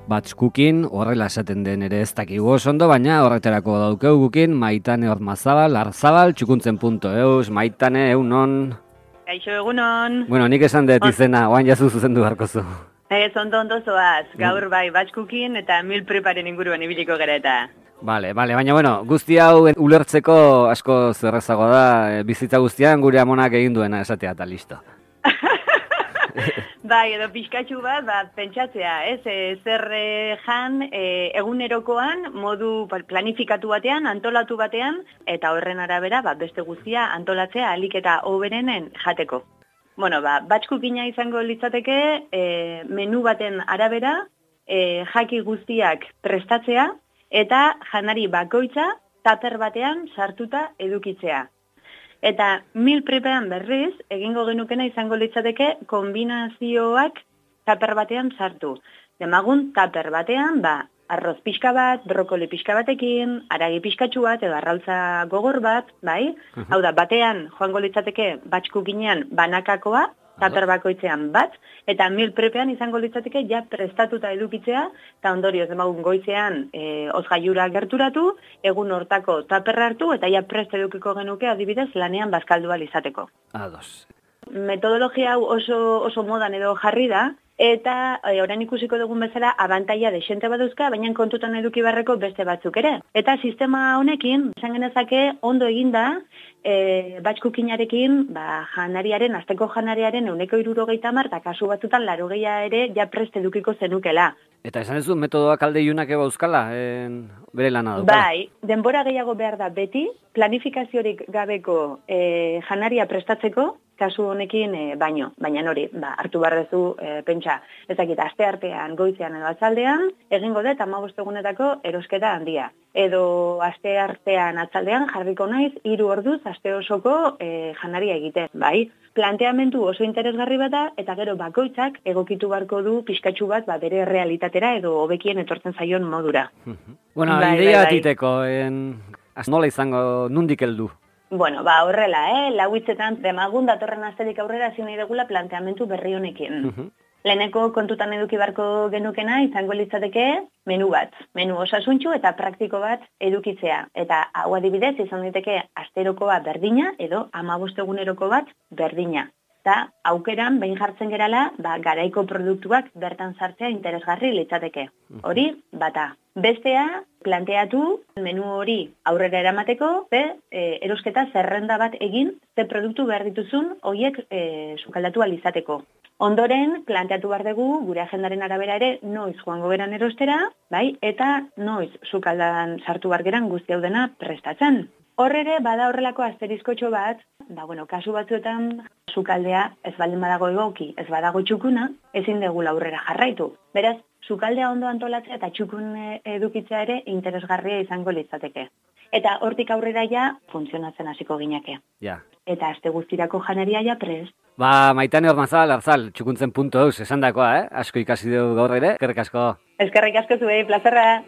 Batch cooking, horrela esaten den ere ez dakigu oso ondo, baina horretarako daukeu gukin Maitane Ormazabal, Arzabal, txukuntzen.eus, Maitane, eunon. Kaixo egunon. Bueno, nik esan dut izena, oan jazu zuzendu beharkozu. Ez, ondo zoaz, gaur bai batch cooking eta meal preparen inguruan ibiliko gara eta. Baina bueno, guzti hau ulertzeko asko zerrezago da, bizitza guztian gure amonak egin duena esatea eta listo. Bai, edo pixkatxu bat pentsatzea, ez? Zer jan egunerokoan, modu planifikatu batean, antolatu batean, eta horren arabera beste guztia antolatzea ahalik eta hoberenen jateko. Bueno, batch cookinga izango litzateke, menu baten arabera, jaki guztiak prestatzea, eta janari bakoitza taper batean sartuta edukitzea. Eta meal prepean berriz, egingo genukena izango litzateke kombinazioak taper batean sartu. Demagun taper batean, arroz pixka bat, brokoli pixka batekin, aragi pixkatxu bat, edo arrautza gogor bat, bai? Hau da, batean joango litzateke batch cookingean banakakoa, taper bakoitzean bat, eta meal prepean izango litzateke ja prestatuta edukitzea, eta ondorioz demagun goizean ozgailura gerturatu, egun hortako taperra hartu, eta ja prest edukiko genuke adibidez lanean bazkaldu ahal izateko. Ados. Metodologia hau oso modan edo jarri da, eta orain ikusiko dugun bezala abantaila desente baduzka, baina kontutan eduki beharreko beste batzuk ere. Eta sistema honekin, esan genezake ondo eginda, batch cookingarekin, janariaren, asteko janariaren 160, eta kasu batzutan 80 ere ja prest edukiko zenukela. Eta esan ez du metodoak alde iunak eba euskala, bere lana daukala? Bai, denbora gehiago behar da beti, planifikaziorik gabeko janaria prestatzeko, kasu honekin baina hori, hartu barrezu pentsa, ezakit, aste artean, goizean edo atzaldean, egingo dut 15 egunetako erosketa handia. Edo aste artean atzaldean jarriko naiz 3 orduz aste osoko janaria egiten, bai? Planteamendu oso interesgarri bat da, eta gero bakoitzak egokitu beharko du pixkatxu bat bere realitatera edo hobekien etortzen zaion modura. Bueno, ideia atiteko, nola izango nundik heldu? Bueno, horrela, lauitzetan demagun datorren asterik aurrera hasi nahi degula planteamendu berri honekin. Leheneko kontutan eduki beharko genukena izango litzateke menu bat. Menu osasuntxu eta praktiko bat edukitzea. Eta hau adibidez izan daiteke asterokoa berdina edo 15 eguneroko bat berdina. Eta aukeran behin jartzen gerala, garaiko produktuak bertan sartzea interesgarri litzateke. Hori bata. Bestea, planteatu menu hori aurrera eramateko, erosketa zerrenda bat egin, ze produktu behar dituzun horiek sukaldatu ahal izateko. Ondoren, planteatu behar dugu, gure agendaren arabera ere, noiz joango geran erostera, bai, eta noiz sukaldan sartu behar geran guzti hau dena prestatzen. Horrere, bada horrelako asterizkotxo bat, kasu batzuetan sukaldea ez baldin badago egoki, ez badago txukuna, ezin degula aurrera jarraitu. Beraz, sukaldea ondo antolatzea eta txukun edukitzea ere interesgarria izango litzateke. Eta hortik aurrera ja funtzionatzen hasiko gineke. Ja. Eta aste guztirako janaria ja prest. Maitane Ormazabal, Arzal, txukuntzen.eus, esan dakoa, asko ikasi dugu gaur ere, eskerrik asko. Eskerrik asko zuei, plazerra.